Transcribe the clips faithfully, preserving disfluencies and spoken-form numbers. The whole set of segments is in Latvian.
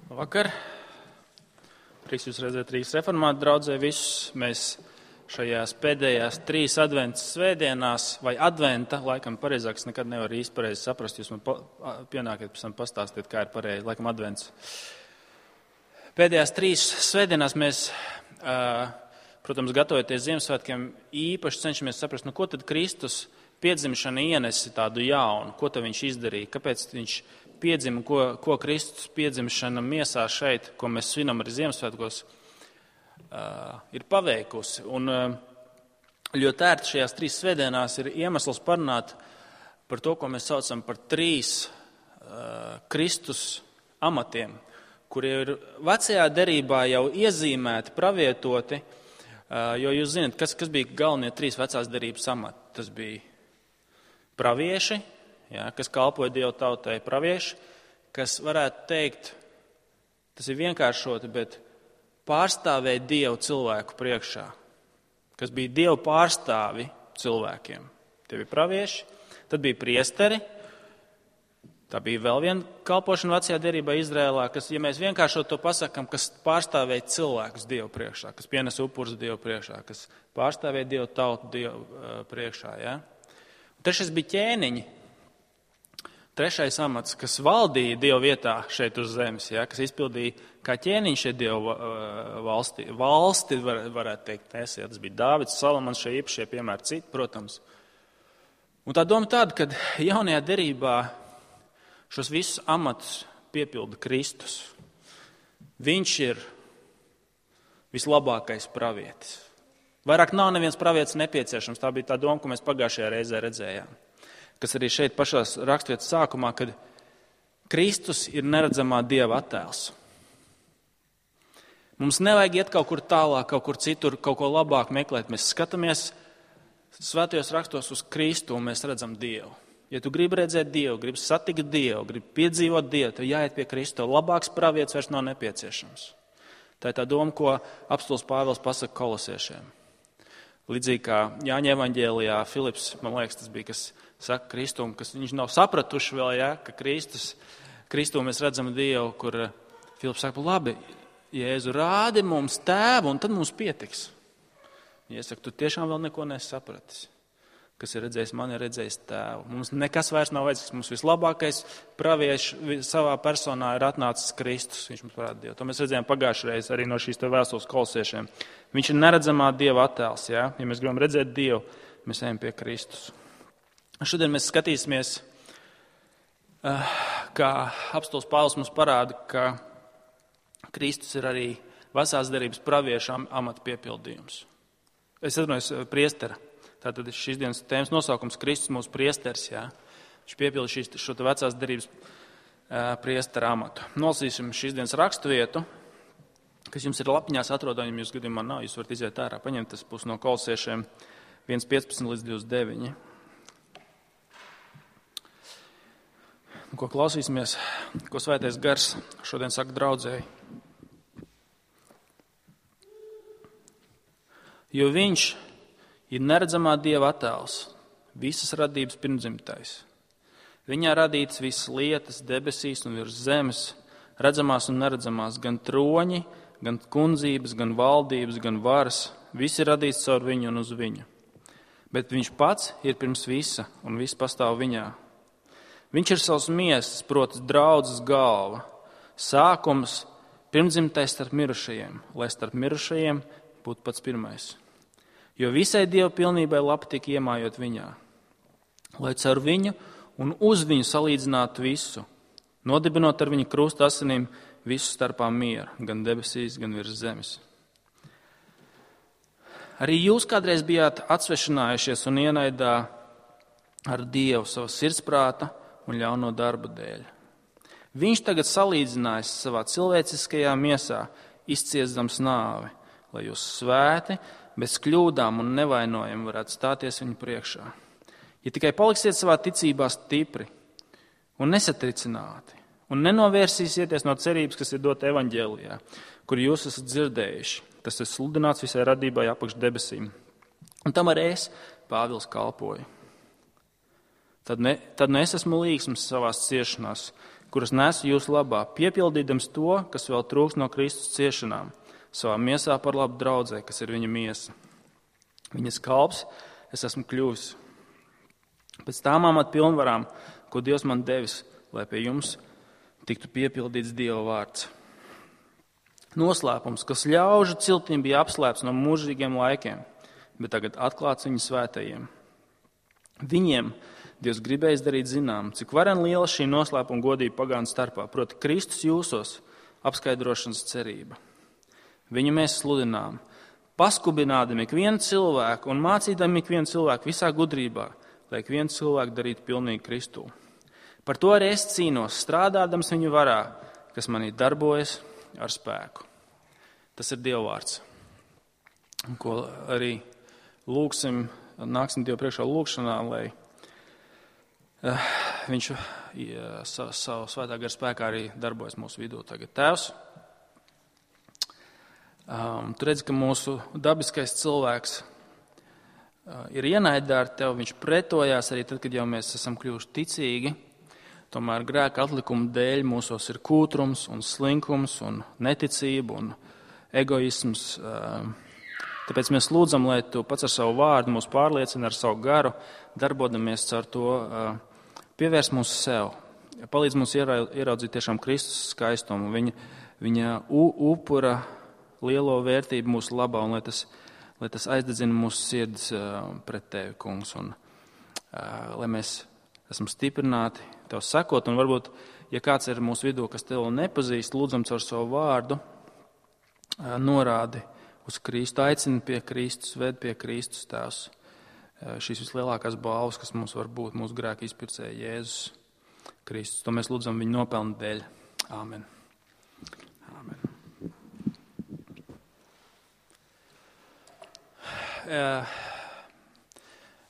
Vakar. Prieks jūs redzēt Rīgas reformātu draudzē visus. Mēs šajās pēdējās trīs adventas svētdienās, vai adventa, laikam pareizāk, es nekad nevaru īsti pareizi saprast, jūs man pienākat pēc tam pastāstīt, kā ir pareizi, laikam advents. Pēdējās trīs svētdienās mēs, protams, gatavoties Ziemassvētkiem, īpaši cenšamies saprast, nu ko tad Kristus piedzimšana ienesi tādu jaunu, ko tad viņš izdarīja, kāpēc viņš piedzima, ko, ko Kristus piedzimšana miesā šeit, ko mēs svinam arī Ziemassvētkos, uh, ir paveikusi. Un uh, ļoti ērti šajās trīs svētdienās ir iemesls parunāt par to, ko mēs saucam par trīs uh, Kristus amatiem, kuri ir vecajā derībā jau iezīmēti, pravietoti, uh, jo jūs zināt, kas, kas bija galvenie trīs vecās derības amati. Tas bija pravieši, ja, kas kalpoja Dievu tautai, pravieši, kas varētu teikt, tas ir vienkāršoti, bet pārstāvēja Dievu cilvēku priekšā, kas bija Dievu pārstāvi cilvēkiem. Tie bija pravieši, tad bija priesteri, tā bija vēl viena kalpošana vecajā derībā Izrēlā, kas, ja mēs vienkāršot to pasakam, kas pārstāvēja cilvēkus Dievu priekšā, kas pienes upurus Dievu priekšā, kas pārstāvēja Dievu tautu Dievu uh, priekšā. Ja? Trešais bija ķēniņi. Trešais amats, kas valdīja Dievu vietā šeit uz zemes, ja, kas izpildīja kā ķēniņš šeit Dievu valsti. Valsti var, varētu teikt, es, ja, tas bija Dāvids, Salamans, šie īpašie piemēri citi, protams. Un tā doma tāda, ka jaunajā derībā šos visus amatus piepilda Kristus. Viņš ir vislabākais pravietis. Vairāk nav neviens pravietis nepieciešams, tā bija tā doma, ko mēs pagājušajā reizē redzējām. Kas arī šeit pašās raksturvietas sākumā, kad Kristus ir neredzamā Dieva attēls. Mums nevajag iet kaut kur tālāk, kaut kur citur, kaut ko labāk meklēt. Mēs skatāmies svētajos rakstos uz Kristu un mēs redzam Dievu. Ja tu gribi redzēt Dievu, gribi satikt Dievu, gribi piedzīvot Dievu, tad jāiet pie Kristu. Labāks pravietis vairs nav nepieciešams. Tā ir tā doma, ko apostuls Pāvils pasaka kolosiešiem. Līdzīgi kā Jāņa evaņģēlijā Filips, man liekas, tas bija, kas saka Kristum, kas viņš nav sapratuši vēl, ja, ka Kristus, Kristu mēs redzam Dievu, kur Filips saka, labi, Jēzu, rādi mums tēvu, un tad mums pietiks. Ja es saku, tu tiešām vēl neko nesapratis. Kas ir redzējis mani, ir redzējis tēvu. Mums nekas vairs nav vajadzīgs, mums vislabākais pravieši savā personā ir atnācis Kristus, viņš mums parāda Dievu. To mēs redzējām pagājušreiz arī no šīs te vēstules kolosiešiem. Viņš ir neredzamā Dieva attēls, ja? Ja mēs gribam redzēt Dievu, mēs ejam pie Kristus. Šodien mēs skatīsimies, kā apostols Pāvils mums parāda, ka Kristus ir arī vecās derības praviešu amata piepildījums. Es atvainojos, priestera. Tātad šīs dienas tēmas nosaukums Kristus mūsu priesteris, jā. Viņš piepilda šīs, šo te vecās derības priestera amatu. Nolasīsim šīs dienas raksturvietu, kas jums ir lapiņās atrodami, ja jūs gadījumā nav, jūs varat iziet ārā, paņemt, tas būs no kolosiešiem viens piecpadsmit līdz divdesmit deviņi. Ko klausīsimies, ko svētais gars šodien saka draudzēji. Jo viņš ir neredzamā Dieva attēls, visas radības pirmdzimtais. Viņā radītas visas lietas debesīs un virs zemes, redzamās un neredzamās, gan troņi, gan kundzības, gan valdības, gan varas, visi ir radīts caur viņu un uz viņu. Bet viņš pats ir pirms visa un viss pastāv viņā. Viņš ir savs miesas, proti draudzes galva, sākums, pirmdzimtais starp mirušajiem, lai starp mirušajiem būtu pats pirmais. Jo visai Dieva pilnībai lapa tika iemājot viņā, lai caur viņu un uz viņu salīdzinātu visu, nodibinot ar viņu krusta asinīm visu starpā mieru, gan debesīs, gan virs zemes. Arī jūs kādreiz bijāt atsvešinājušies un ienaidā ar Dievu savu sirdsprāta un ļauno darbu dēļ. Viņš tagad salīdzinājis savā cilvēciskajā miesā, izciesdams nāvi, lai jūs svēti, bez kļūdām un nevainojami varētu stāties viņu priekšā. Ja tikai paliksiet savā ticībā stipri un nesatricināti un nenovērsīsieties no cerības, kas ir dota evaņģēlijā, kur jūs esat dzirdējuši, tas ir sludināts visai radībai apakš debesīm. Un tam arī es, Pāvils, kalpoju. Tad ne, tad ne es esmu līgsms savās ciešanās, kuras nesu jūsu labā, piepildīdams to, kas vēl trūks no Kristus ciešanām, savā miesā par labu draudzē, kas ir viņa miesa. Viņas kalps es esmu kļuvis. Pēc tām amat pilnvarām, ko Dievs man devis, lai pie jums tiktu piepildīts Dieva vārds. Noslēpums, kas ļaužu ciltīm bija apslēpts no mūžīgiem laikiem, bet tagad atklāts viņa svētajiem. Viņiem Dievs gribēja darīt zinām, cik varen liela šī noslēpuma godība pagānu starpā, proti Kristus jūsos apskaidrošanas cerība. Viņu mēs sludinām, paskubinādami ikvienu cilvēku un mācīdami ikvienu cilvēku visā gudrībā, lai ikvienu cilvēku darītu pilnīgi Kristū. Par to arī es cīnos, strādādams viņu varā, kas manī darbojas ar spēku. Tas ir Dieva vārds, ko arī lūksim, nāksim Dievu priekšā lūkšanā, lai uh, viņš ja, savu, savu svētā gara spēkā arī darbojas mūsu vidū tagad. Tēvs, um, tu redzi, ka mūsu dabiskais cilvēks uh, ir ienaidā ar tevi, viņš pretojās arī tad, kad jau mēs esam kļuvuši ticīgi. Tomēr grēka atlikuma dēļ mūsos ir kūtrums un slinkums un neticība un egoisms. Tāpēc mēs lūdzam, lai tu pats ar savu vārdu mūs pārliecina, ar savu garu, darbodamies caur to, pievērs mūs sev. Palīdz mums ieraudzīt tiešām Kristus skaistumu, viņa, viņa upura lielo vērtību mūsu labā, un lai tas, lai tas aizdedzina mūsu sirds pret tevi, kungs, un lai mēs esam stiprināti tev sekot, un varbūt, ja kāds ir mūsu vidū, kas tev nepazīst, lūdzam caur savu vārdu, norādi uz Kristu, aicina pie Kristus, ved pie Kristus tēvs. Šīs vislielākās balvas, kas mums var būt, mūsu grēka izpircēja Jēzus Kristus. To mēs lūdzam viņu nopelnu dēļ. Āmen. Āmen.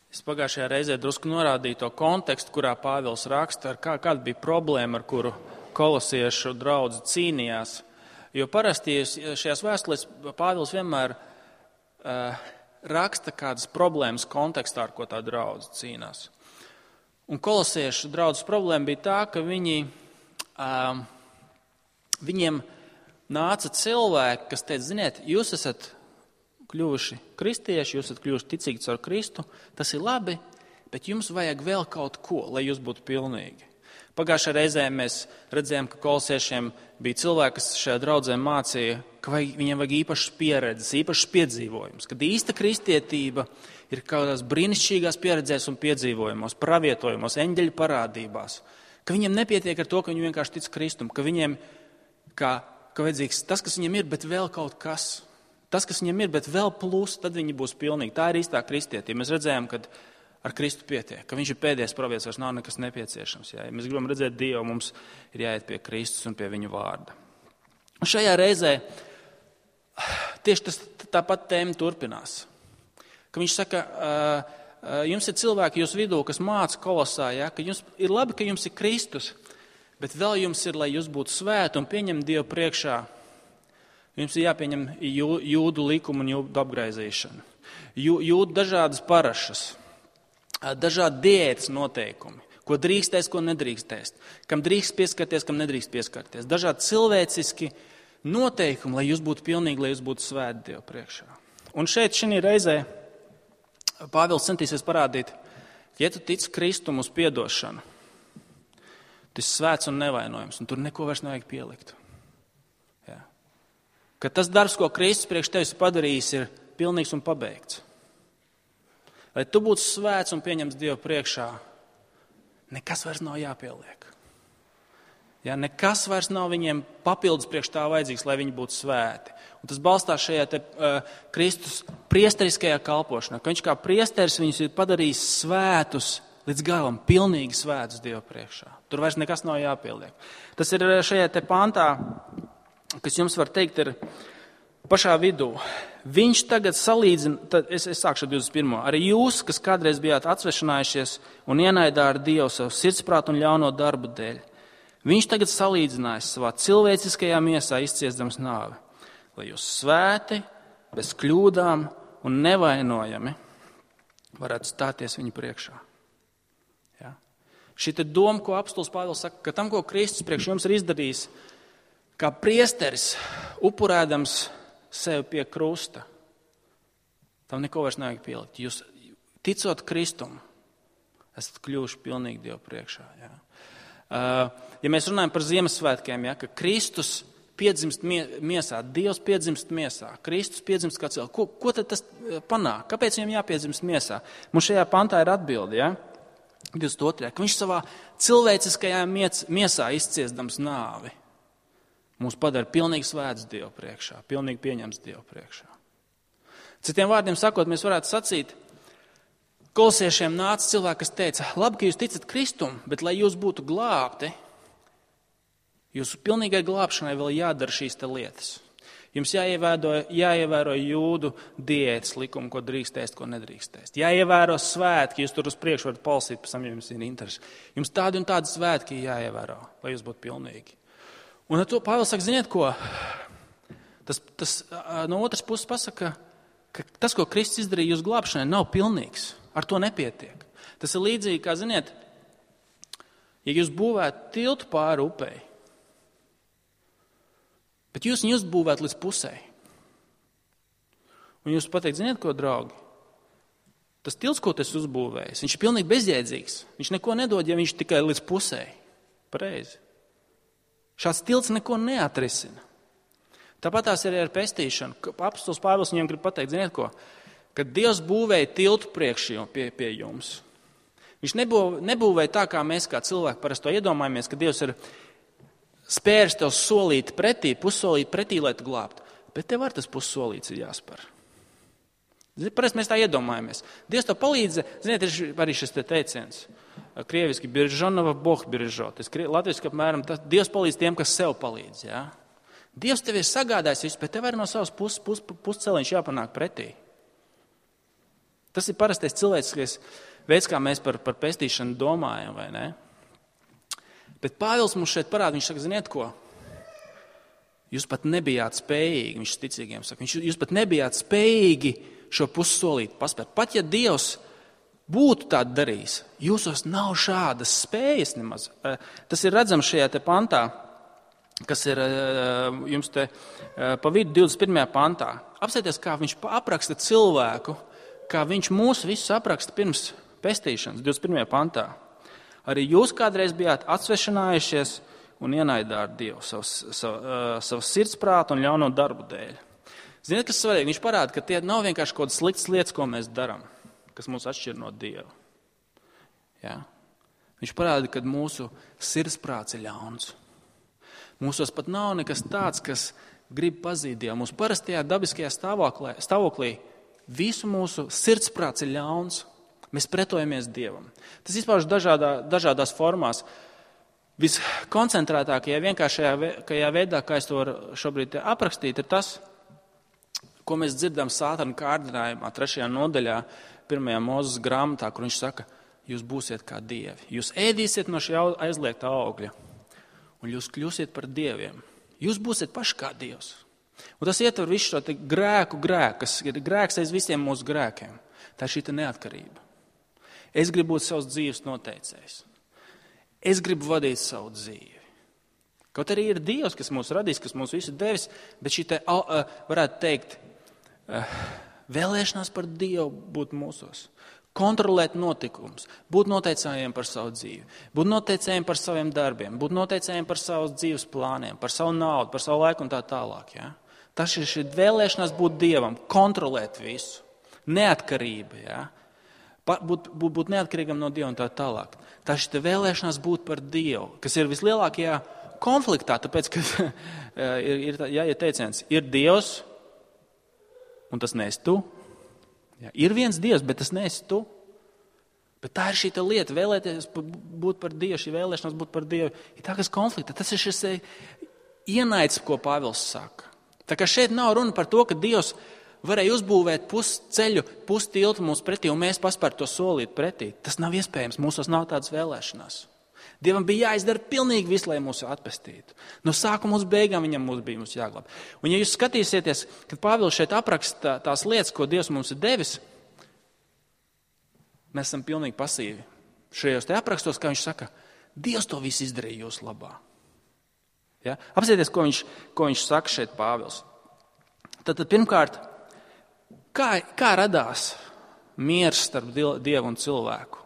Es pagājušajā reizē drusku norādīju to kontekstu, kurā Pāvils raksta, ar kā, kāda bija problēma, ar kuru kolosiešu draudzi cīnījās. Jo parasti šajās vēstulēs Pāvils vienmēr uh, raksta kādas problēmas kontekstā, ar ko tā draudze cīnās. Un kolosiešu draudzes problēma bija tā, ka viņi, uh, viņiem nāca cilvēki, kas teica, ziniet, jūs esat kļuvuši kristieši, jūs esat kļuvuši ticīgi caur Kristu, tas ir labi, bet jums vajag vēl kaut ko, lai jūs būtu pilnīgi. Pagājušajā reizē mēs redzējām, ka kolosiešiem bija cilvēki, kas šajā draudzē mācīja, ka vajag, viņiem vajag īpašas pieredzes, īpašas piedzīvojumus, kad īsta kristietība ir kaut kādās brīnišķīgās pieredzēs un piedzīvojumos, pravietojumos, eņģeļu parādībās, ka viņiem nepietiek ar to, ka viņi vienkārši tic Kristum, ka viņiem ka, ka vajadzīgs tas, kas viņiem ir, bet vēl kaut kas. Tas, kas viņiem ir, bet vēl plus, tad viņi būs pilnīgi. Tā ir īstā kristietība. Mēs redzējām, ka ar Kristu pietiek, ka viņš ir pēdējais pravietis, vairs nav nekas nepieciešams. Jā. Ja mēs gribam redzēt Dievu, mums ir jāiet pie Kristus un pie viņa vārda. Un šajā reizē tieši tas, tāpat tēma turpinās. Ka viņš saka, jums ir cilvēki jūs vidū, kas māca kolosā, ja, ka jums ir labi, ka jums ir Kristus, bet vēl jums ir, lai jūs būtu svēti un pieņem Dievu priekšā. Jums ir jāpieņem jūdu likumu un jūdu apgraizīšanu. Jūdu dažādas parašas. Dažādi diētas noteikumi, ko drīkstēs, ko nedrīkstēs, kam drīkst pieskarties, kam nedrīkst pieskarties. Dažādi cilvēciski noteikumi, lai jūs būtu pilnīgi, lai jūs būtu svēti Dievu priekšā. Un šeit šī reizē Pāvils centīsies parādīt, ja tu tici Kristum uz piedošanu, tu esi svēts un nevainojams, un tur neko vairs nevajag pielikt. Jā. Ka tas darbs, ko Kristus priekš tevis padarījis, ir pilnīgs un pabeigts. Lai tu būtu svēts un pieņems Dievu priekšā, nekas vairs nav jāpieliek. Ja, nekas vairs nav viņiem papildus priekš tā vajadzīgs, lai viņi būtu svēti. Un tas balstās šajā te, uh, Kristus priesteriskajā kalpošanā, ka viņš kā priesteris viņus ir padarījis svētus līdz galam, pilnīgi svētus Dievu priekšā. Tur vairs nekas nav jāpieliek. Tas ir šajā te pantā, kas jums var teikt, ir pašā vidū. Viņš tagad salīdzina, tad es, es sākšu ar divdesmit pirmo. Arī jūs, kas kādreiz bijāt atsvešinājušies un ienaidā ar Dievu savu sirdsprātu un ļauno darbu dēļ, viņš tagad salīdzinājis savā cilvēciskajā miesā izciesdams nāvi, lai jūs svēti, bez kļūdām un nevainojami varētu stāties viņa priekšā. Ja? Šī te doma, ko apostols Pāvils saka, ka tam, ko Kristus priekš jums ir izdarījis, kā priesteris, upurēdams sevi pie krusta, tam neko vairs nevajag pielikt. Jūs, ticot Kristum, esat kļuvuši pilnīgi Dievu priekšā. Ja, uh, ja mēs runājam par Ziemassvētkiem, ja, ka Kristus piedzimst miesā, Dievs piedzimst miesā, Kristus piedzimst kā cilvēks, ko, ko tad tas panāk? Kāpēc viņam jāpiedzimst miesā? Mums šajā pantā ir atbilde, ja? divdesmit otrajā ka viņš savā cilvēciskajā miesā izciesdams nāvi mūs padara pilnīgi svēts Dievu priekšā, pilnīgi pieņems Dievu priekšā. Citiem vārdiem sakot, mēs varētu sacīt, kolosiešiem nāca cilvēki, kas teica, labi, ka jūs ticat Kristum, bet lai jūs būtu glābti, jūsu pilnīgai glābšanai vēl jādara šīs te lietas. Jums jāievēro, jāievēro jūdu diētas likumu, ko drīkst ēst, ko nedrīkst ēst. Jāievēro svētki, jūs tur uz priekšu varat palasīt, pēc tam, ja jums ir interesi. Jums tādi un tādi svētki jāievēro, lai jūs būtu pilnīgi. Un ar to Pāvils saka, ziniet ko? Tas, tas no otras puses pasaka, ka tas, ko Kristus izdarīja jūsu glābšanai, nav pilnīgs. Ar to nepietiek. Tas ir līdzīgi, kā, ziniet, ja jūs būvētu tiltu pāri upei, bet jūs viņu uzbūvētu līdz pusē. Un jūs pateikt, ziniet ko, draugi? Tas tilts, ko tas uzbūvējis, viņš ir pilnīgi bezjēdzīgs. Viņš neko nedod, ja viņš tikai līdz pusē. Pareizi. Šāds tilts neko neatrisina. Tāpat tās ir ar pestīšanu. Apostols Pāvils viņiem grib pateikt, ziniet ko? Kad Dievs būvēja tiltu priekš pie, pie jums, viņš nebūvēja, nebūvēja tā, kā mēs kā cilvēki parasti to iedomājamies, ka Dievs ir spērs tev solīt pretī, pussolīt pretī, lai tu glābtu. Bet tev ar tas pussolīts ir jāspēr. Parasti mēs tā iedomājamies. Dievs tev palīdz, ziniet, ir arī šis te teiciens. Krieviski biržonova, boh biržot. Latviski apmēram, tas, Dievs palīdz tiem, kas sev palīdz. Ja? Dievs tev ir sagādājis visu, bet tev arī no savas puses pus, pusceliņš jāpanāk pretī. Tas ir parastais cilvēciskais veids, kā mēs par, par pestīšanu domājam, vai ne? Bet Pāvils mums šeit parāda, viņš saka, ziniet ko? Jūs pat nebijāt spējīgi, viņš ticīgiem saka, viņš, jūs pat nebijāt spējīgi šo pussolīti paspēt. Pat ja Dievs būtu tā darījis, jūsos nav šādas spējas nemaz. Tas ir redzams šajā te pantā, kas ir jums te pa vidu divdesmit pirmajā pantā. Apsieties, kā viņš apraksta cilvēku, kā viņš mūs visus apraksta pirms pestīšanas, divdesmit pirmajā pantā. Arī jūs kādreiz bijāt atsvešinājušies un ienaidāt Dievu savas, savas, savas sirdsprātu un ļauno darbu dēļ. Ziniet, kas svarīgi? Viņš parāda, ka tie nav vienkārši kaut kādas sliktas lietas, ko mēs darām, kas mūs atšķir no Dieva. Ja? Viņš parāda, ka mūsu sirdsprāts ir ļauns. Mūsos pat nav nekas tāds, kas grib pazīt Dievu. Mūsu parastajā dabiskajā stāvoklī, stāvoklī visu mūsu sirdsprāts ir ļauns. Mēs pretojamies Dievam. Tas izpauž dažādā, dažādās formās. Viskoncentrētākajā, vienkāršajā veidā, kā es to varu šobrīd aprakstīt, ir tas, ko mēs dzirdam Sātana kārdinājumā, trešajā nodaļā, pirmajā Mūzes grāmatā, kur viņš saka, jūs būsiet kā dievi. Jūs ēdīsiet no šī aizliegtā augļa, un jūs kļūsiet par dieviem. Jūs būsiet paši kā Dievs. Un tas ietver visu šo te grēku grēku, kas ir grēks aiz visiem mūsu grēkiem. Tā ir šī te neatkarība. Es gribu būt savs dzīves noteicējs. Es gribu vadīt savu dzīvi. Kaut arī ir Dievs, kas mūs radīs, kas mūs visu devis, bet šī te, varētu teikt, vēlēšanās par Dievu būt mūsos. Kontrolēt notikumus, būt noteicējiem par savu dzīvi, būt noteicējiem par saviem darbiem, būt noteicējiem par savus dzīves plāniem, par savu naudu, par savu laiku un tā tālāk. Ja? Tas ir šī vēlēšanās būt Dievam, kontrolēt visu, neatkarība, ja? būt, būt, būt neatkarīgam no Dieva un tā tālāk. Tā šī vēlēšanās būt par Dievu, kas ir vislielākajā konfliktā, tāpēc, ka ir, ir, jā, ir teiciens, ir Dievs un tas neesi tu. Jā, ir viens Dievs, bet tas neesi tu. Bet tā ir šī lieta, vēlēties būt par Dievu, šī vēlēšanās būt par Dievu, ir tā, kas konflikta. Tas ir šis ienaids, ko Pāvils saka. Tā kā šeit nav runa par to, ka Dievs varēja uzbūvēt pusceļu, pustiltu mums pretī, un mēs paspērt to solīt pretī. Tas nav iespējams, mūsos nav tādas vēlēšanās. Dievam bija jāizdara pilnīgi viss, lai mūs atpestītu. No sākuma uz beigām viņam mums bija mums jāglāb. Un ja jūs skatīsieties, kad Pāvils šeit apraksta tās lietas, ko Dievs mums ir devis, mēs esam pilnīgi pasīvi. šajos te aprakstos, kā viņš saka, Dievs to visu izdarīja jūsu labā. Ja? Apsieties, ko viņš, ko viņš saka šeit Pāvils. Tad, tad pirmkārt, kā, kā radās miers starp Dievu un cilvēku?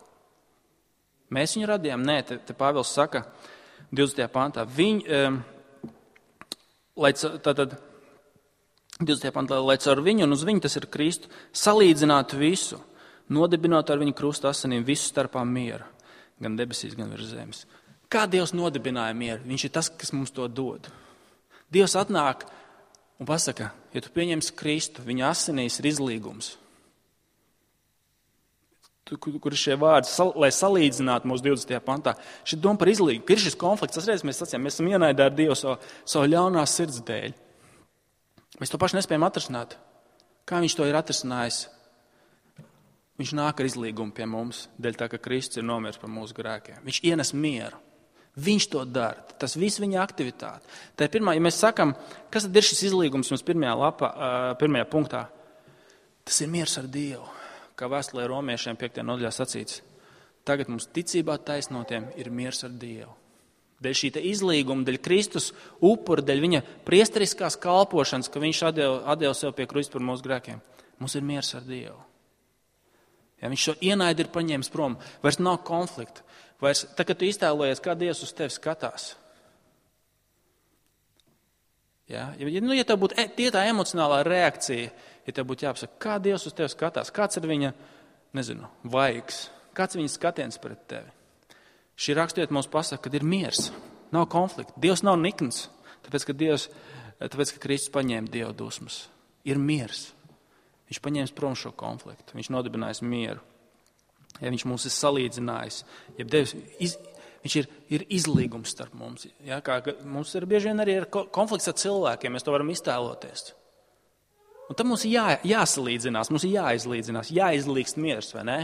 Mēs viņu radījām? Nē, te, te Pāvils saka divdesmitajā pantā. Viņ, um, lai, tātad, divdesmitajā pantā, lai caur viņu un uz viņu, tas ir Kristu, salīdzinātu visu, nodibinot ar viņu krusta asinīm visu starpā mieru, gan debesīs, gan virs zemes. Kā Dievs nodibināja mieru? Viņš ir tas, kas mums to dod. Dievs atnāk un pasaka, ja tu pieņemsi Kristu, viņa asinīs ir izlīgums. Kur ir šie vārdi, sal, lai salīdzinātu mūsu divdesmitajā pantā. Šī doma par izlīgumu, ka ir šis konflikts, tas reiz mēs sacījām, mēs esam ienaidē ar Dievu savu, savu ļaunās sirds dēļ. Mēs to pašu nespējam atrisināt. Kā viņš to ir atrisinājis? Viņš nāk ar izlīgumu pie mums, dēļ tā, ka Kristus ir nomiris par mūsu grēkiem. Viņš ienes mieru. Viņš to dara. Tas viss viņa aktivitāte. Tā ir pirmā, ja mēs sakam, kas tad ir šis izlīgums mums pirmajā, lapā, pirmajā punktā, tas ir miers ar Dievu. Kā vēstulē romiešiem piektajā nodaļā sacīts, tagad mums ticībā taisnotiem ir miers ar Dievu. Dēļ šī izlīguma, dēļ Kristus upura, dēļ viņa priesteriskās kalpošanas, ka viņš atdeva, atdeva sev pie krusta par mūsu grēkiem, mums ir miers ar Dievu. Ja, viņš šo ienaidu ir paņēmis prom, vairs nav konflikta. Vairs, tā, kad tu iztēlojies, kā Dievs uz tevi skatās. Ja, ja, nu, ja tev būtu tie tā emocionālā reakcija, ja tev būtu jāpasaka, kā Dievs uz tevi skatās, kāds ir viņa, nezinu, vaigs, kāds ir viņa skatiens pret tevi. Šī raksturieta mums pasaka, ka ir miers, nav konflikta. Dievs nav nikns, tāpēc, ka, Dievs, tāpēc, ka Kristus paņēma Dieva dusmas. Ir miers. Viņš paņēmis prom šo konfliktu, viņš nodibinājis mieru. Ja viņš mūs ir salīdzinājis, ja Dievs, iz, viņš ir, ir izlīgums starp mums. Ja, kā, mums ir bieži vien arī ir konflikts ar cilvēkiem, mēs to varam iztēloties. Un tad mums ir jā, jāsalīdzinās, mums ir jāizlīdzinās, jāizlīgst miers, vai ne?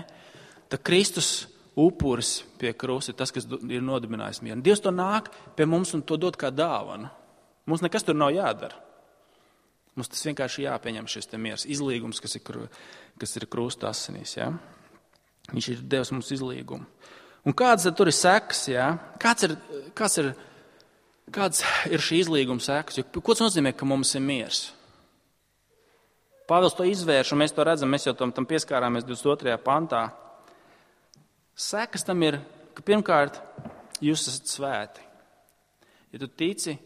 Tad Kristus upuris pie krusta ir tas, kas ir nodibinājis mieru. Dievs to nāk pie mums un to dod kā dāvanu. Mums nekas tur nav jādara. Mums tas vienkārši jāpieņem šis te miers, izlīgums, kas ir, kas ir krusta asinīs. Ja? Viņš ir devis mums izlīgumu. Un kāds tur ir sekas? Ja? Kāds, ir, kāds, ir, kāds ir šī izlīguma sekas? Jo, ko tas nozīmē, ka mums ir miers? Pāvils to izvērš, un mēs to redzam, mēs jau tam, tam pieskārāmies divdesmit otrajā pantā. Sekas tam ir, ka pirmkārt jūs esat svēti. Ja tu tici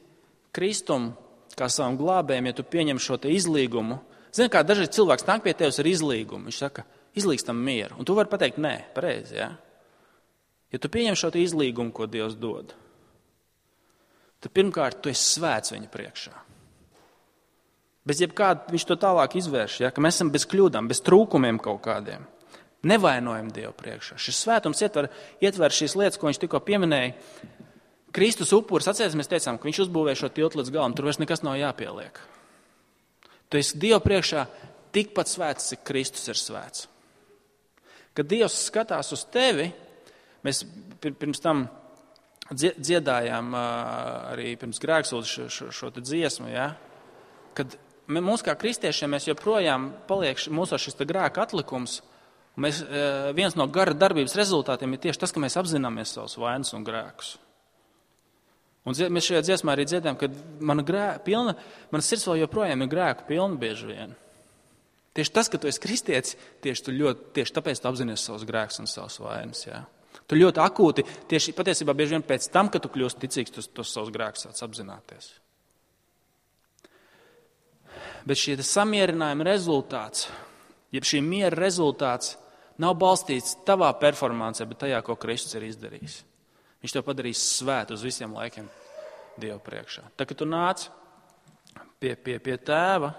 Kristum, kā savam glābējiem, ja tu pieņem šo te izlīgumu, zini, kā dažreiz cilvēks nāk pie tevis ar izlīgumu, viņš saka, izlīgstam mieru, un tu vari pateikt, nē, pareizi, ja? Ja tu pieņem šo te izlīgumu, ko Dievs dod, tad pirmkārt tu esi svēts viņa priekšā. Bez jebkāda viņš to tālāk izvērš, ja? Ka mēs esam bez kļūdām, bez trūkumiem kaut kādiem. Nevainojam Dievu priekšā. Šis svētums ietver, ietver šīs lietas, ko viņš tikko pieminēja. Kristus upuris, atcerieties, mēs teicām, ka viņš uzbūvēja šo tiltu līdz galam, tur vairs nekas nav jāpieliek. Tu esi Dievu priekšā tikpat svēts, cik Kristus ir svēts. Kad Dievs skatās uz tevi, mēs pirms tam dziedājām arī pirms grēksūdas šo, šo, šo te dziesmu, ja? Kad mums kā kristiešiem mēs joprojām paliek mūsu šis te grēka atlikums, un mēs, viens no gara darbības rezultātiem ir tieši tas, ka mēs apzināmies savus vainas un grēkus. Un mēs šajā dziesmā arī dziedājam, ka mana, grē, pilna, mana sirds vēl joprojām ir grēku pilna bieži vien. Tieši tas, ka tu esi kristietis, tieši, tu ļoti, tieši tāpēc tu apzinies savus grēkus un savus vainas. Ja? Tu ļoti akūti, tieši patiesībā bieži vien pēc tam, kad tu kļūsti ticīgs, tu tos savus grēkus sāc apzināties. Bet šī samierinājuma rezultāts, jeb šī miera rezultāts nav balstīts tavā performancē, bet tajā, ko Kristus ir izdarījis. Viņš to padarīs svētu uz visiem laikiem Dievu priekšā. Tā, kad tu nāc pie, pie, pie tēva,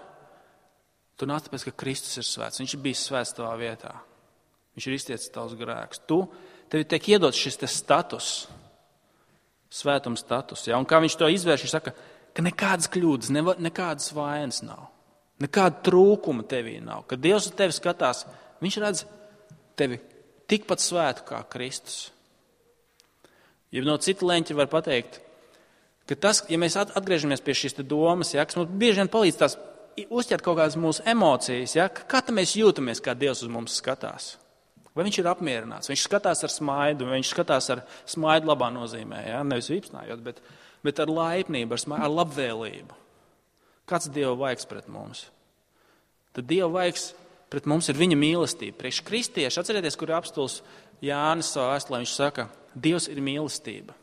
tu nāc tāpēc, ka Kristus ir svēts. Viņš ir bijis svēts tavā vietā. Viņš ir iztiecis tavus grēkus. Tu, tev tiek iedots šis te status, svētums status. Ja? Un kā viņš to izvērš, viņš saka, ka nekādas kļūdas, ne, nekādas vainas nav. Nekāda trūkuma tevī nav. Kad Dievs uz tevi skatās, viņš redz tevi tikpat svētu kā Kristus. Ja no cita leņķa var pateikt, ka tas, ja mēs atgriežamies pie šīs domas, ja, kas mums bieži vien palīdz tās uzķert kaut kādas mūsu emocijas, ja, kā tad mēs jūtamies, kā Dievs uz mums skatās? Vai viņš ir apmierināts, viņš skatās ar smaidu, vai viņš skatās ar smaidu labā nozīmē, ja? Nevis vīpsnājot, bet, bet ar laipnību, ar, smaidu, ar labvēlību. Kāds Dieva vaigs pret mums? Tad Dieva vaigs pret mums ir viņa mīlestība. Priekš kristieši, atcerieties, kur ir apstulis Jānis savā vēstulē, viņš saka, Dievs ir mīlestība.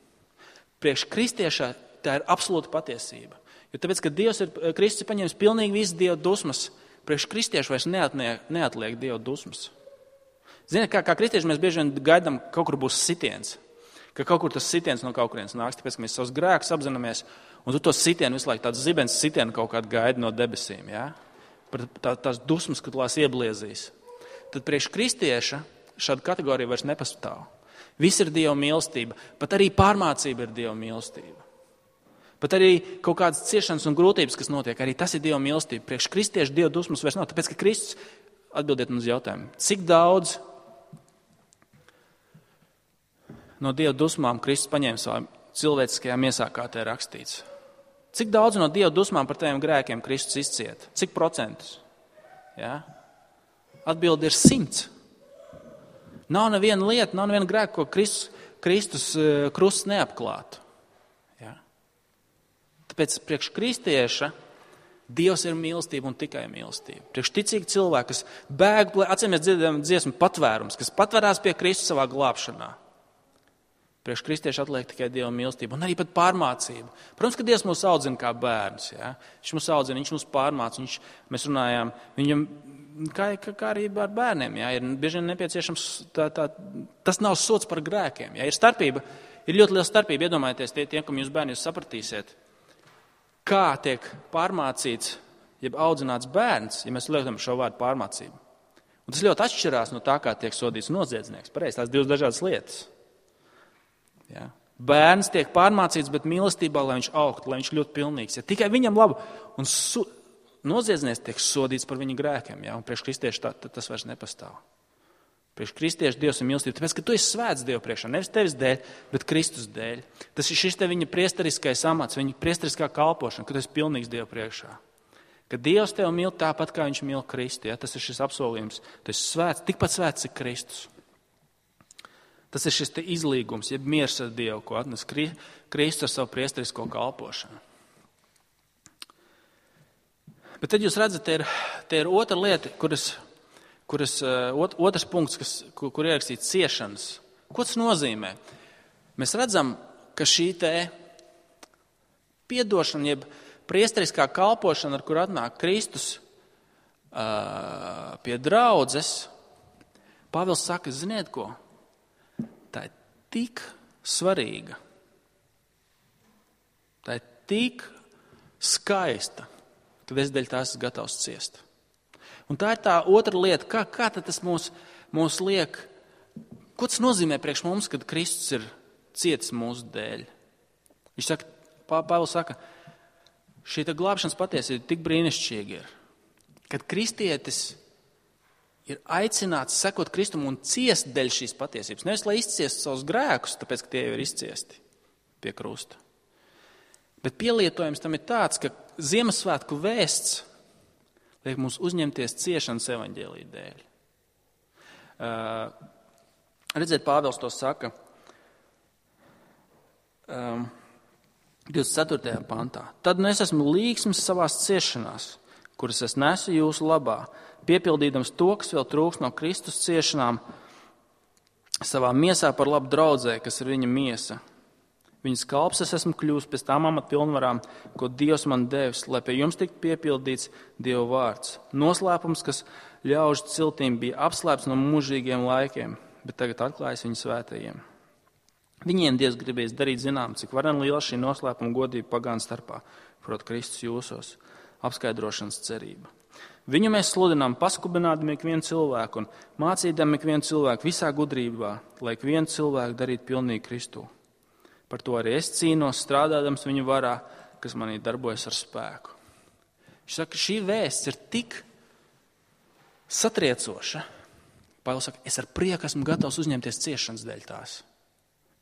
Priekš kristiešā tā ir absolūta patiesība. Jo tāpēc, ka Dievs ir, Kristus ir paņēmis pilnīgi visas Dieva dusmas, priekš kristieši vairs neatliek, neatliek Dieva dusmas. Ziniet, kā, kā kristieši mēs bieži vien gaidām, ka kaut kur būs sitiens, ka kaut kur tas sitiens no kaut kurienes nāks, tāpēc, ka mēs savus grēkus apzināmies, un tu to sitienu visu laiku, tāds zibens sitienu kaut kādu gaidi no debesīm, ja? Tā, tās dusmas, kad tās iebliezīs. Tad priekš kristieša šāda kategorija vairs nepastāv. Viss ir Dieva mīlestība, pat arī pārmācība ir Dieva mīlestība. Pat arī kaut kādas ciešanas un grūtības, kas notiek, arī tas ir Dieva mīlestība. Priekš kristieša Dieva dusmas vairs nav, tāpēc, ka Kristus, atbildiet mums jautājumu, cik daudz no Dieva dusmām Kristus paņēma savā cilvēciskajā miesā, kā te ir rakstīts. Cik daudz no Dieva dusmām par tiem grēkiem Kristus izcieta? Cik procentus? Ja? Atbildi ir simts. Nav neviena lieta, nav neviena grēka, ko Kristus, Kristus krusts neapklātu. Ja? Tāpēc priekš kristieša Dievs ir mīlestība un tikai mīlestība. Priekš ticīgi cilvēki, kas bēg, atcīm mēs dzirdam dziesmu patvērums, kas patverās pie Kristus savā glābšanā. Priekš kristieši atliek tikai Dieva mīlestība un arī pat pārmācība. Protams, ka Dievs mūs audzina kā bērns. Ja? Viņš mūs audzina, viņš mūs pārmāca. Viņš, mēs runājām, viņam, kā, kā arī ar bērniem, ja? Ir bieži vien nepieciešams, tā, tā, tas nav sots par grēkiem. Ja? Ir starpība, ir ļoti liela starpība, iedomājieties, tie, tie, kam jūs bērni jūs sapratīsiet, kā tiek pārmācīts, jeb audzināts bērns, ja mēs lietojam šo vārdu pārmācību. Un tas ļoti atšķirās no tā, kā tiek sodīts noziedznieks. Pareizi, tās divas dažādas lietas. Ja. Bērns tiek pārmācīts, bet mīlestībā, lai viņš augtu, lai viņš ļoti pilnīgs. Ja. Tikai viņam labu. Un su, noziedznieks tiek sodīts par viņa grēkiem. Ja. Un priekš kristieši tā, tā, tas vairs nepastāv. Priekš kristieši Dievs ir mīlestība. Tāpēc, ka tu esi svēts Dievu priekšā. Nevis tevis dēļ, bet Kristus dēļ. Tas ir šis te viņa priestariskais amats, viņa priestariskā kalpošana, ka tu esi pilnīgs Dievu priekšā. Ka Dievs tevi mīl tāpat, kā viņš mīl Kristu. Ja. Tas ir šis apsolījums. Tu esi svēts, tikpat svēts ir Kristus. Tas ir šis te izlīgums, jeb miers ar Dievu, ko atnes Kristus ar savu priestarisko kalpošanu. Bet tad jūs redzat, te ir, te ir otra lieta, kuras, kuras ot, otrs punkts, kas, kur, kur ierakstīts ciešanas. Ko tas nozīmē? Mēs redzam, ka šī te piedošana, jeb priestariskā kalpošana, ar kur atnāk Kristus uh, pie draudzes, Pāvils saka, ziniet ko? Tā ir tik svarīga, tā ir tik skaista, ka es dēļ tās esmu gatavs ciest. Un tā ir tā otra lieta, kā, kā tas mūs, mūs liek, ko tas nozīmē priekš mums, kad Kristus ir cietis mūsu dēļ. Viņš saka, Pāvils saka, šī glābšanas patiesība tik brīnišķīga ir, kad kristietis ir aicināts sekot Kristum un ciest dēļ šīs patiesības. Nevis, lai izciest savus grēkus, tāpēc, ka tie jau ir izciesti pie krusta. Bet pielietojums tam ir tāds, ka Ziemassvētku vēsts liek mums uzņemties ciešanas evaņģēlija dēļ. Uh, redziet, Pāvils to saka um, divdesmit ceturtajā pantā. Tad nu es esmu līgsms savās ciešanās, kuras es nesu jūsu labā, piepildīdams to, kas vēl trūks no Kristus ciešanām, savā miesā par labu draudzē, kas ir viņa miesa. Viņas kalps es esmu kļūst pēc tām amatpilnvarām, ko Dievs man devis, lai pie jums tiktu piepildīts Dieva vārds. Noslēpums, kas ļaužu ciltīm bija apslēpts no mūžīgiem laikiem, bet tagad atklājas viņa svētajiem. Viņiem Dievs gribēs darīt zinām, cik varen liela šī noslēpuma godība pagānu starpā, proti Kristus jūsos, apskaidrošanas cerība. Viņu mēs sludinām paskubinādami ikvienu cilvēku un mācīdami ikvienu cilvēku visā gudrībā, lai ikvienu cilvēku darītu pilnīgi Kristu. Par to arī es cīnos, strādādams viņu varā, kas manī darbojas ar spēku. Viņš saka, šī vēsts ir tik satriecoša. Pāvils saka, es ar prieku esmu gatavs uzņemties ciešanas dēļ tās.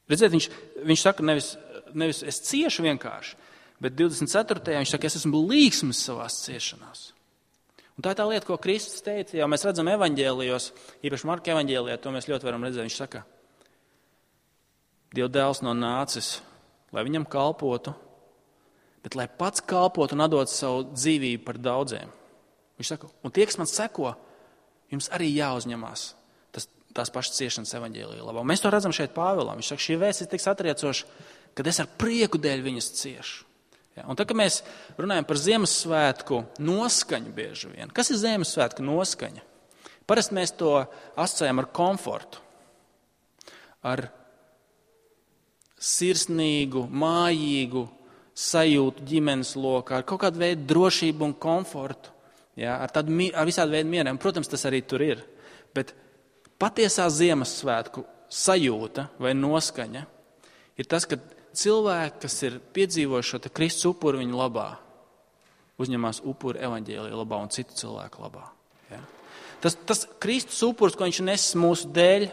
Redziet, viņš, viņš saka, nevis, nevis es ciešu vienkārši, bet divdesmit ceturtajā viņš saka, es esmu līgsmis savās ciešanās. Un tā ir tā lieta, ko Kristus teica, jau mēs redzam evaņģēlijos, īpaši Marka evaņģēlijā, to mēs ļoti varam redzēt. Viņš saka, Dieva dēls nav nācis, lai viņam kalpotu, bet lai pats kalpotu un atdot savu dzīvību par daudziem. Viņš saka, un tie, kas man seko, jums arī jāuzņemās tas, tās pašas ciešanas evaņģēlijā labā. Un mēs to redzam šeit Pāvilam. Viņš saka, šī vēsts ir tik satriecoša, kad es ar prieku dēļ viņas ciešu. Ja, un tad, kad mēs runājam par Ziemassvētku noskaņu bieži vien, kas ir Ziemassvētku noskaņa? Parasti mēs to asociējam ar komfortu, ar sirsnīgu, mājīgu sajūtu ģimenes lokā, ar kaut kādu veidu drošību un komfortu, ja, ar, tādu, ar visādu veidu mieriem. Protams, tas arī tur ir, bet patiesā Ziemassvētku sajūta vai noskaņa ir tas, ka cilvēki, kas ir piedzīvojuši šo Kristus upuru viņa labā, uzņemās upuru evaņģēlija labā un citu cilvēku labā. Ja? Tas, tas Kristus upurs, ko viņš nesis mūsu dēļ,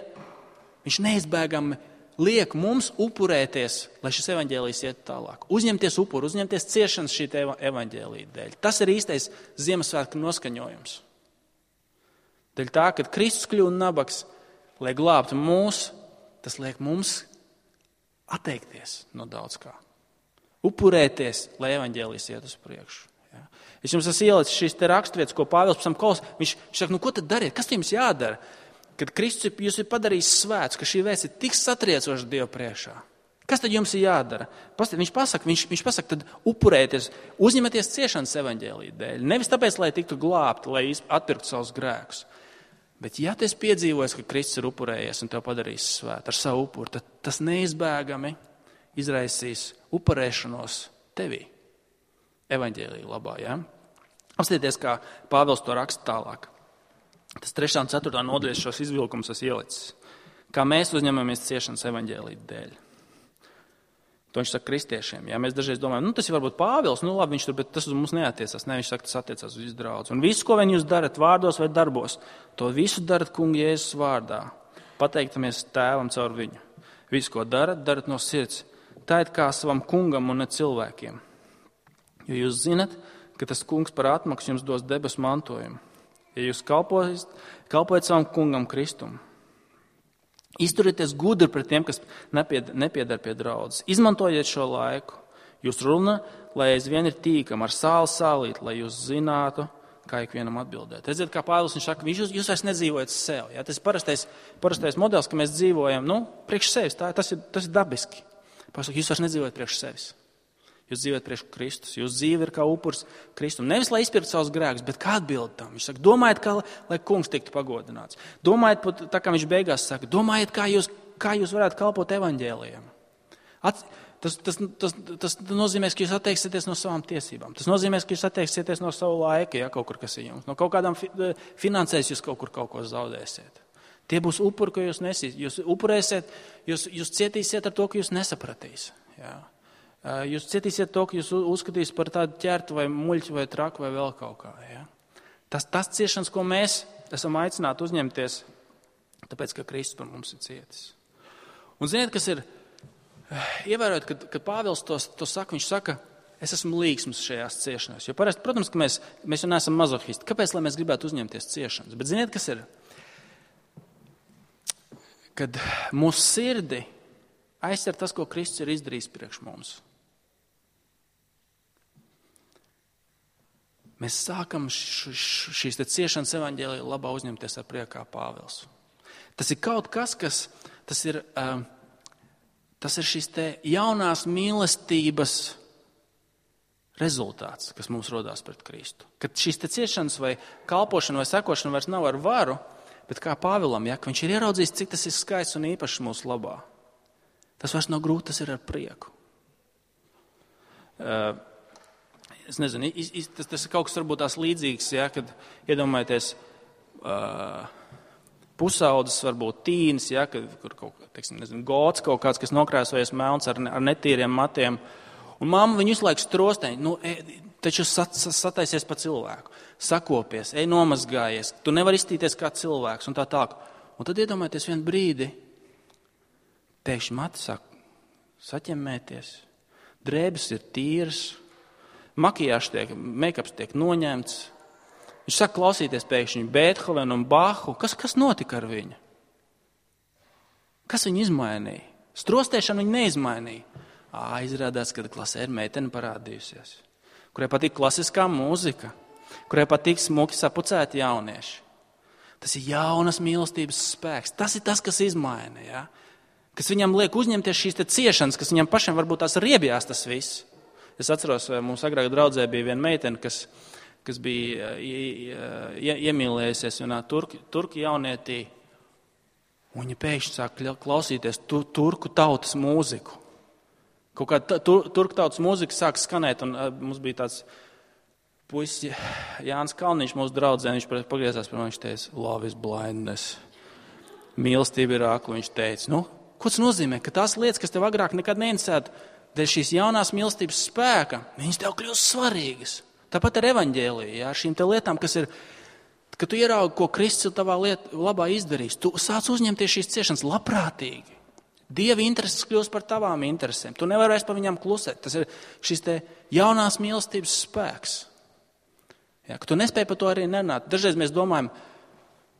viņš neizbēgami liek mums upurēties, lai šis evaņģēlijs iet tālāk. Uzņemties upuru, uzņemties ciešanas šī evaņģēlija dēļ. Tas ir īstais Ziemassvētku noskaņojums. Dēļ tā, kad Kristus kļūst nabaks, lai glābtu mūs, tas liek mums atteikties no daudz kā. Upurēties, lai evaņģēlijs iet uz priekšu. Ja. Es jums esmu ielicis šīs te raksturvietas, ko Pāvils pēc tam klaus. Viņš, viņš saka, nu ko tad dariet? Kas jums jādara? Kad Kristus jūs ir padarījis svēts, ka šī vēsts ir tik satriecoša Dieva priekšā. Kas tad jums ir jādara? Viņš pasaka, viņš, viņš pasaka, tad upurēties, uzņematies ciešanas evaņģēlija dēļ. Nevis tāpēc, lai tiktu glābti, lai atpirktu savus grēkus. Bet ja tu esi piedzīvojis, ka Kristus ir upurējies un tev padarījis svētu ar savu upuru, tad tas neizbēgami izraisīs upurēšanos tevī. Evaņģēlija labā, ja? Apstieties, kā Pāvils to raksta tālāk. Tas trešā un ceturtā nodaļas šos izvilkumus es ielicis. Kā mēs uzņemamies ciešanas evaņģēlija dēļ. To viņš saka kristiešiem. Ja mēs dažreiz domājam, nu tas ir varbūt Pāvils, nu labi, viņš tur, bet tas uz mums neatiecās. Ne, viņš saka, tas attiecās uz visu draudzi. Un visu, ko vien jūs darat vārdos vai darbos, to visu darat kunga Jēzus vārdā. Pateiktamies tēvam caur viņu. Visu, ko darat, darat no sirds. Tā ir kā savam kungam un ne cilvēkiem. Jo jūs zinat, ka tas kungs par atmaksu jums dos debesu mantojumu. Ja jūs kalpojat, kalpojat savam kungam Kristum. Izturieties gudri pret tiem, kas nepiedar pie draudzes. Izmantojiet šo laiku. Jūs runa, lai aizvien ir tīkam ar sāli sālīt, lai jūs zinātu, kā ikvienam atbildēt. Redziet, kā Pāvils viņš saka, jūs, jūs vairs nedzīvojat sev. Ja? Tas ir parastais, parastais modelis, ka mēs dzīvojam, nu, priekš sevis. Tā, tas, ir, tas ir dabiski. Pāvils saka, jūs vairs nedzīvojat priekš sevis. Jūs dzīvojat priekš Kristus. Jūs dzīve ir kā upurs Kristum. Nevis, lai izpirktu savus grēkus, bet kā atbild tam. Viņš saka, domājiet, kā, lai kungs tiktu pagodināts. Domājiet, tā kā viņš beigās saka, domājiet, kā jūs, kā jūs varētu kalpot evaņģēlijam. At, tas, tas, tas, tas nozīmē, ka jūs atteiksieties no savām tiesībām. Tas nozīmē, ka jūs atteiksieties no savu laika, ja kaut kur kas ir jums. No kaut kādām fi, finansēs jūs kaut kur kaut ko zaudēsiet. Tie būs upuri, ko jūs nesīs. Jūs upurēsiet, jūs, jūs cietīsiet ar to, ka jūs nesapratīs. Jā. Jūs cietīsiet to, ka jūs uzskatīsiet par tādu ķertu vai muļķu vai traku vai vēl kaut kā. Ja? Tas, tas ciešanas, ko mēs esam aicināti uzņemties, tāpēc, ka Kristus par mums ir cietis. Un ziniet, kas ir, ievērojot, kad, kad Pāvils to, to saka, viņš saka, es esmu līgsms šajās ciešanās. Jo parasti, protams, ka mēs, mēs jau neesam mazohisti. Kāpēc, lai mēs gribētu uzņemties ciešanas? Bet ziniet, kas ir? Kad mūsu sirdi aizcer tas, ko Kristus ir izdarījis priekš mums. Mēs sākam š, š, šīs te ciešanas evaņģēlija labā uzņemties ar prieku kā Pāvils. Tas ir kaut kas, kas tas ir, uh, tas ir šīs te jaunās mīlestības rezultāts, kas mums rodās pret Kristu. Kad šīs te ciešanas vai kalpošana vai sekošana vairs nav ar varu, bet kā Pāvilam, ja, ka viņš ir ieraudzījis, cik tas ir skaists un īpašs mūsu labā. Tas vairs nav grūti, tas ir ar prieku. Uh, Es nezinu, tas, tas ir kaut kas varbūt tās līdzīgs, ja, kad iedomājieties uh, pusaudzes, varbūt tīnis, ja, kad, kur kaut teiksim, nezinu, gods kaut kāds, kas nokrāsojies melns ar, ar netīriem matiem. Un mamma viņu visu laiku strostēņ, nu, e, taču sat, sataisies pa cilvēku, sakopies, ej nomazgājies, tu nevari iztīties kā cilvēks un tā tālāk. Un tad iedomājieties vienu brīdi, pēkšņi mati sāk saķemmēties, drēbes ir tīras, makijāžs tiek, make-ups tiek noņemts, Viņš saka klausīties pēkšņi Beethovenu un Bahu. Kas, kas notika ar viņu? Kas viņu izmainīja? Strostēšanu viņu neizmainīja. Ā, izrādās, ka klasē ir meitene parādījusies, kurai patīk klasiskā mūzika, kurai patīk smuki sapucēti jaunieši. Tas ir jaunas mīlestības spēks. Tas ir tas, kas izmaina, ja? Kas viņam liek uzņemties šīs te ciešanas, kas viņam pašam varbūt tās riebjās tas viss. Es atceros, mums agrāk draudzē bija viena meitene, kas, kas bija iemīlējusies vienā turki, turki jaunietī. Un viņa pēkšņi sāk klausīties tur, turku tautas mūziku. Kaut kā tur, turku tautas mūzika sāk skanēt, un mums bija tāds puisis Jānis Kalniņš mūsu draudzē, viņš pagriezās par mani, viņš teica, love is blindness. Mīlestība ir ākla, viņš teica. Nu, ko tas nozīmē? Ka tās lietas, kas tev agrāk nekad neinteresētu, dēļ šīs jaunās mīlestības spēka, viņas tev kļūst svarīgas. Tāpat ar evaņģēliju, jā, šīm te lietām, kas ir, ka tu ieraugi, ko Kristus tavā liet, labā izdarīs. Tu sāc uzņemties šīs ciešanas labprātīgi. Dieva intereses kļūst par tavām interesēm. Tu nevari vairs par viņām klusēt. Tas ir šis te jaunās mīlestības spēks. Ja, ka tu nespēji par to arī nerunāt. Dažreiz mēs domājam,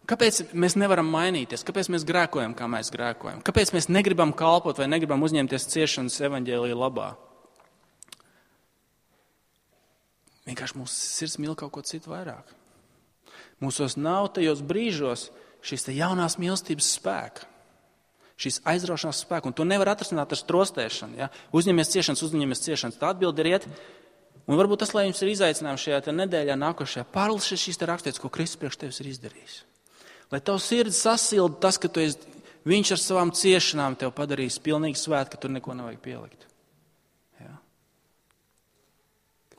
kāpēc mēs nevaram mainīties, kāpēc mēs grēkojam, kā mēs grēkojam, kāpēc mēs negribam kalpot vai negribam uzņemties ciešanas evaņģēlija labā. Vienkārši mūsu sirds mīl kaut ko citu vairāk. Mūsos nav tajos brīžos šīs te jaunās mīlestības spēka, šīs aizraušanās spēka, un to nevar atrasināt ar strostēšanu. Ja? Uzņemies ciešanas, uzņemies ciešanas. Tā atbilde ir iet. Un varbūt tas, lai jums ir izaicinājums šajā nedēļā nākošajā, pārlasies šīs te rakstītas, ko Kristus priekš tevis ir izdarījis. Lai tavu sirdi sasilda tas, ka tu esi, viņš ar savām ciešanām tev padarīs pilnīgi svēt, ka tur neko nevajag pielikt. Ja?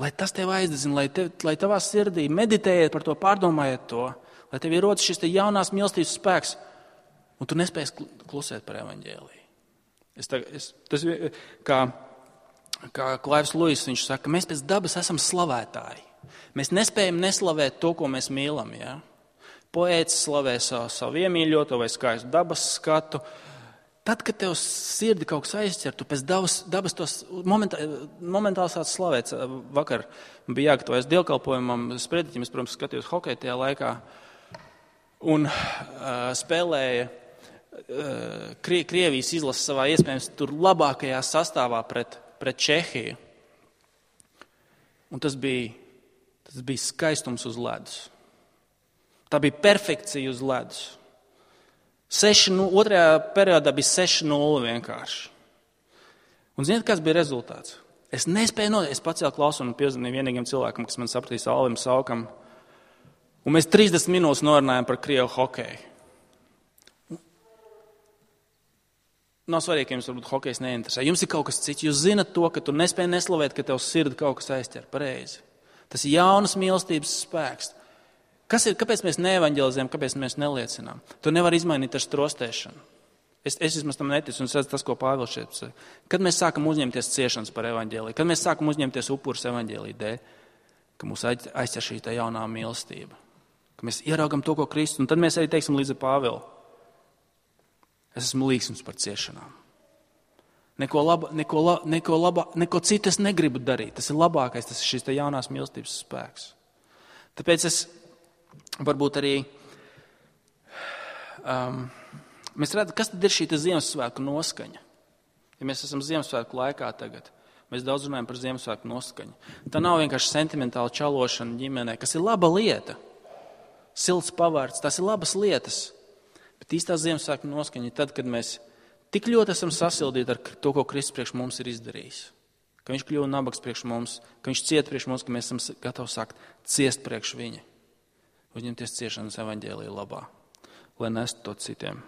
Lai tas tev aizdedzina, lai, tev, lai tavā sirdī meditējiet par to, pārdomājiet to, lai tev ir rodas šis te jaunās mīlestības spēks, un tu nespēsi klusēt par evaņģēliju. Es, tā, es, tas kā, kā Klaivs Luis, viņš saka, mēs pēc dabas esam slavētāji. Mēs nespējam neslavēt to, ko mēs mīlam. Ja? Poēts slavē savu, savu iemīļoto vai skaistu dabas skatu. Tad, kad tev sirdi kaut kas aizķer, tu pēc dabas, dabas tos momentā, momentāli sāc slavēt. Vakar bija jāgatavojas dievkalpojumam, sprediķim, es, protams, skatījos hokeju tajā laikā un uh, spēlēja uh, Krie, Krievijas izlases savā iespējams tur labākajā sastāvā pret, pret Čehiju. Un tas bija, tas bija skaistums uz ledus. Tā bija perfekcija uz ledus. Seši, nu, otrajā periodā bija seši nulle vienkārši. Un ziniet, kas bija rezultāts? Es nespēju no, es pacēlu klausu un piezvanīju vienīgam cilvēkam, kas man sapratīs, Alvim Saukam. Un mēs trīsdesmit minūtes norunājam par Krievu hokeju. Nav svarīgi, ka jums varbūt hokejs neinteresē. Jums ir kaut kas cits. Jūs zinat to, ka tu nespēji neslavēt, ka tev sirdi kaut kas aizķer. Pareizi. Tas ir jaunas mīlestības spēks. Kas ir, kāpēc mēs neevaņģelizējam, kāpēc mēs neliecinām? To nevar izmainīt ar strostēšanu. Es, es vismaz tam neticu, un es redzu tas, ko Pāvils šeit saka. Kad mēs sākam uzņemties ciešanas par evaņģēliju, kad mēs sākam uzņemties upurus evaņģēliju dēļ, ka mūs aizķer šī tā jaunā mīlestība, ka mēs ieraugam to, ko Kristus, un tad mēs arī teiksim līdz ar Pāvilu. Es esmu līgsms par ciešanām. Neko, laba, neko, la, neko, laba, neko citu es negribu darīt. Tas ir labākais, tas ir šīs tā jaunās mīlestības spēks. Tāpēc es varbūt arī um, mēs redzam, kas tad ir šī Ziemassvētku noskaņa. Ja mēs esam Ziemassvētku laikā tagad, mēs daudz runājam par Ziemassvētku noskaņu. Tā nav vienkārši sentimentāla čalošana ģimenē, kas ir laba lieta. Silts pavārds, tās ir labas lietas. Bet īstā Ziemassvētku noskaņa ir tad, kad mēs tik ļoti esam sasildīti ar to, ko Kristus priekš mums ir izdarījis. Ka viņš kļuva nabaks priekš mums, ka viņš ciet priekš mums, ka mēs esam gatavi sākt ciest priekš viņa. Uzņemties ciešanas evaņģēlija labā, lai nestu to citiem.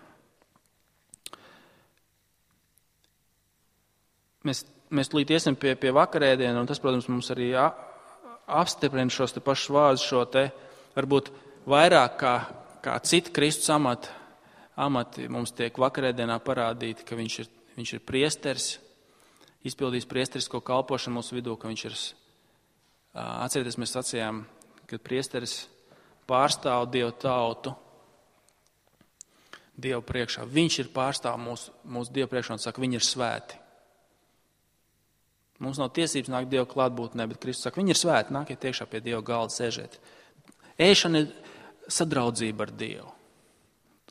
Mēs, mēs līdz iesim pie, pie vakarēdiena, un tas, protams, mums arī apstiprina šos te pašus vārdus, šo te varbūt vairāk kā, kā citi Kristus amati, amati mums tiek vakarēdienā parādīti, ka viņš ir, viņš ir priesteris, izpildījis priesterisko kalpošanu mūsu vidū, ka viņš ir, atcerieties, mēs sacījām, ka priesteris pārstāv Dievu tautu, Dievu priekšā. Viņš ir pārstāv mūsu, mūsu Dievu priekšā un saka, viņi ir svēti. Mums nav tiesības nākt Dievu klātbūtnē, bet Kristus saka, viņi ir svēti, nākiet iekšā pie Dieva galda, sēžiet. Ēšana ir sadraudzība ar Dievu.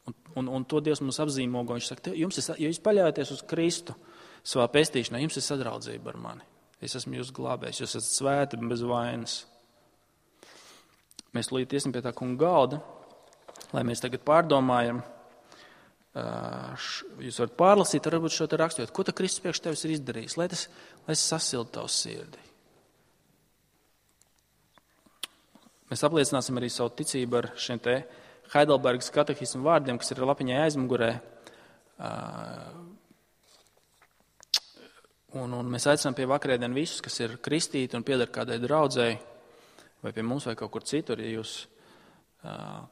Un, un, un to Dievs mums apzīmogo. Viņš saka, jums ir, ja jūs paļaujaties uz Kristu savā pestīšanā, jums ir sadraudzība ar mani. Es esmu jūs glābējis, jūs esat svēti bez vainas. Mēs lūdzu iesim pie tā kunga galda, lai mēs tagad pārdomājam. Jūs varat pārlasīt, varbūt šo te rakstot, ko ta Kristus priekš tevis ir izdarījis, lai tas, lai tas sasilda tavu sirdi. Mēs apliecināsim arī savu ticību ar šiem te Heidelbergas katehismu vārdiem, kas ir lapiņai aizmugurē. Un, un mēs aicinām pie vakarēdien visus, kas ir kristīti un pieder kādai draudzēji, vai pie mums, vai kaut kur citur, ja jūs uh,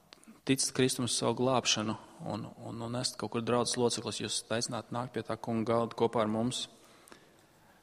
ticat Kristum uz savu glābšanu un, un, un esat kaut kur draudzes loceklis, jūs aicināt nākt pie tā kunga galda kopā ar mums.